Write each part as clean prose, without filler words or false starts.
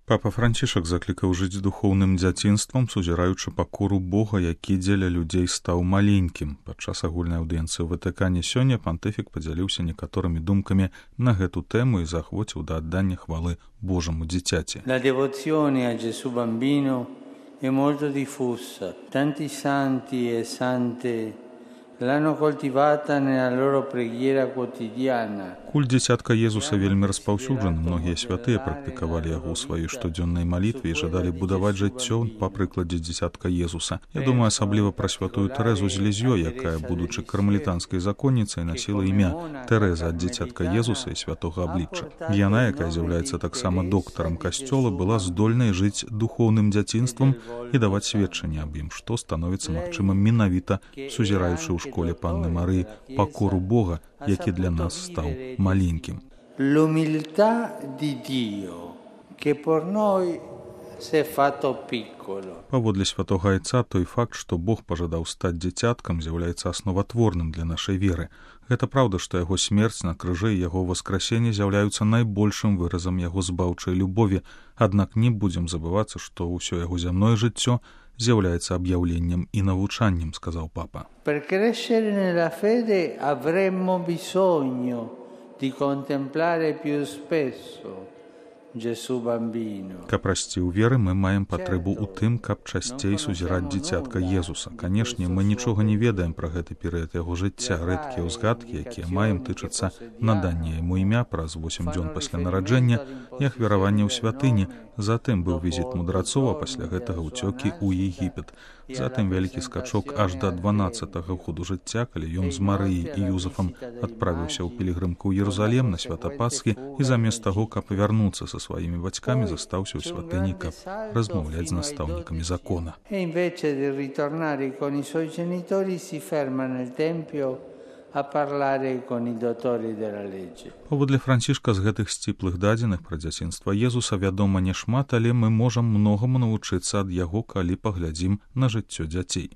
Папа Францішак заклікаў жыць духоўным дзяцінствам, сузіраючы пакору Бога, які дзеля людзей стаў маленькім. Падчас агульнай аўдыенцыі ў Ватыкане сёння пантыфік падзяліўся некаторымі думкамі на гэту тэму і заахвоціў да аддання хвалы Божаму дзіцяці. La devozione a Gesù bambino è molto diffusa. Tanti santi e sante l'hanno coltivata nella loro preghiera quotidiana. Культ дзіцятка Езуса вельмі распаўсюджаны. Многія святыя практыкавалі яго ў сваёй штодзённай малітве і жадалі будаваць жыццё па прыкладзе дзіцятка Езуса. Я думаю асабліва пра святую Тэрэзу з Лізьёй, якая, будучы кармелітанскай законніцай, насіла імя Тэрэза ад дзіцятка Езуса і святога аблічча. Яна, якая з'яўляецца таксама доктарам касцёла, была здольнай жыць духоўным дзяцінствам і даваць сведчанне аб ім, што становіцца магчымым менавіта сузіраючы ў школе Панны Марыі пакору Бога, які для нас стаў маленькім. L'umiltà di Dio che per noi si è fatto piccolo. Паводле святога Айца, той факт, што Бог пажадаў стаць дзіцяткам, з'яўляецца асноватворным для нашай веры. Гэта праўда, што яго смерць на крыжы і яго васкрасенне з'яўляюцца найбольшым выразам яго збаўчай любові, аднак не будзем забывацца, што ўсё яго зямное жыццё з'яўляецца аб'яўленнем і навучаннем, сказаў папа. Per crescere nella fede avremmo bisogno di contemplare più spesso Gesù bambino. Каб расці ў веры, мы маем патрэбу ў тым, каб часцей сузіраць дзіцятка Езуса. Канешне, мы нічога не ведаем пра гэты перыяд яго жыцця. Рэдкія ўзгадкі, якія маем, тычацца надання яму імя праз 8 дзён пасля нараджэння і ахвяравання ў святыні. Затым быў візіт мудрацоў, а пасля гэтага ўцёкі ў Егіпет. Затым вялікі скачок аж да 12-го году жыцця, калі ён з Марыяй і Юзафам адправіўся ў пілігрымку ў Єрусалем на свята Пасхі і замест таго, каб вярнуцца са сваімі бацькамі, застаўся ў святыні, каб размаўляць з настаўнікамі закона. E invece di ritornare con i suoi genitori si ferma nel tempio a parlare con i dottori della legge. Паводле Францішка з гэтых сціплых дадзеных пра дзяцінства Езуса вядома не шмат, але мы можам многаму навучыцца ад яго, калі паглядзім на жыццё дзяцей.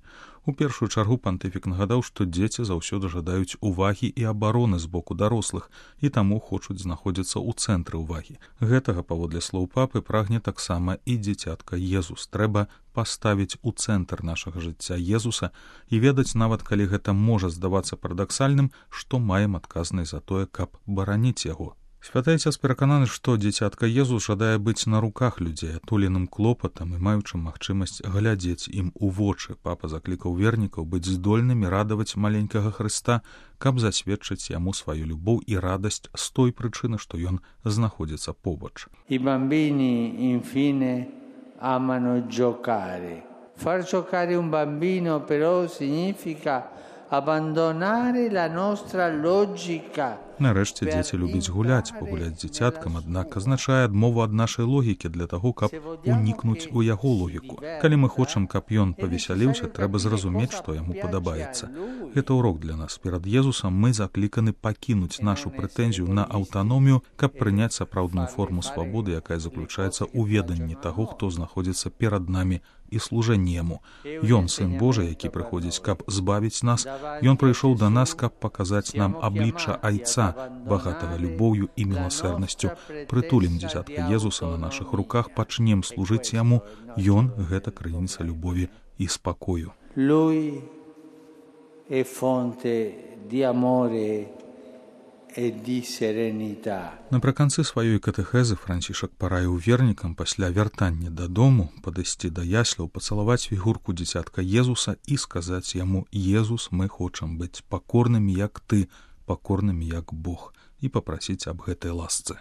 У першую чаргу пантыфік нагадаў, што дзеці заўсёды жадаюць увагі і абароны з боку дарослых і таму хочуць знаходзіцца ў цэнтры ўвагі. Гэтага, паводле слоў папы, прагне таксама і дзіцятка Езус. Трэба паставіць у цэнтр нашага жыцця Езуса і ведаць, нават калі гэта можа здавацца парадаксальным, што маем адказнасць за тое, каб бараніць яго. Святы Айцец перакананы, што дзіцятка Езус жадае быць на руках людзей, атуленым клопатам і маючым магчымасць глядзець ім у вочы. Папа заклікаў вернікаў быць здольнымі радаваць маленькага Хрыста, каб засведчыць яму сваю любоў і радасць з той прычыны, што ён знаходзіцца побач. I bambini infine amano giocare. Far giocare un bambino però significa abbandonare la nostra logica. Нарэшце дзеці любяць гуляць, пагуляць з дзіцяткам, аднак азначае адмову ад нашай логікі для таго, каб унікнуць у яго логіку. Калі мы хочам, каб ён павесяліўся, трэба зразумець, што яму падабаецца. Гэта урок для нас. Перад Езусам мы закліканы пакінуць нашу прэтэнзію на аўтаномію, каб прыняць сапраўдную форму свабоды, якая заключаецца ў веданні таго, хто знаходзіцца перад намі і служэнні яму. Ён, Сын Божы, які прыходзіць, каб збавіць нас, ён прыйшоў да нас, каб паказаць нам аблічча Айца, багатага любоўю і міласэрнасцю. Прытулім дзіцятка Езуса на нашых руках, пачнем служыць яму. Ён — гэта крыніца любові і спакою. Lui è fonte di amore e di serenità. Напрыканцы сваёй катэхезы Францішак параіў вернікам пасля вяртання дадому падысці да ясляў, пацалаваць фігурку дзіцятка Езуса і сказаць яму: «Езус, мы хочам быць пакорнымі, як ты, пакорнымі, як Бог», і папрасіць аб гэтай ласцы.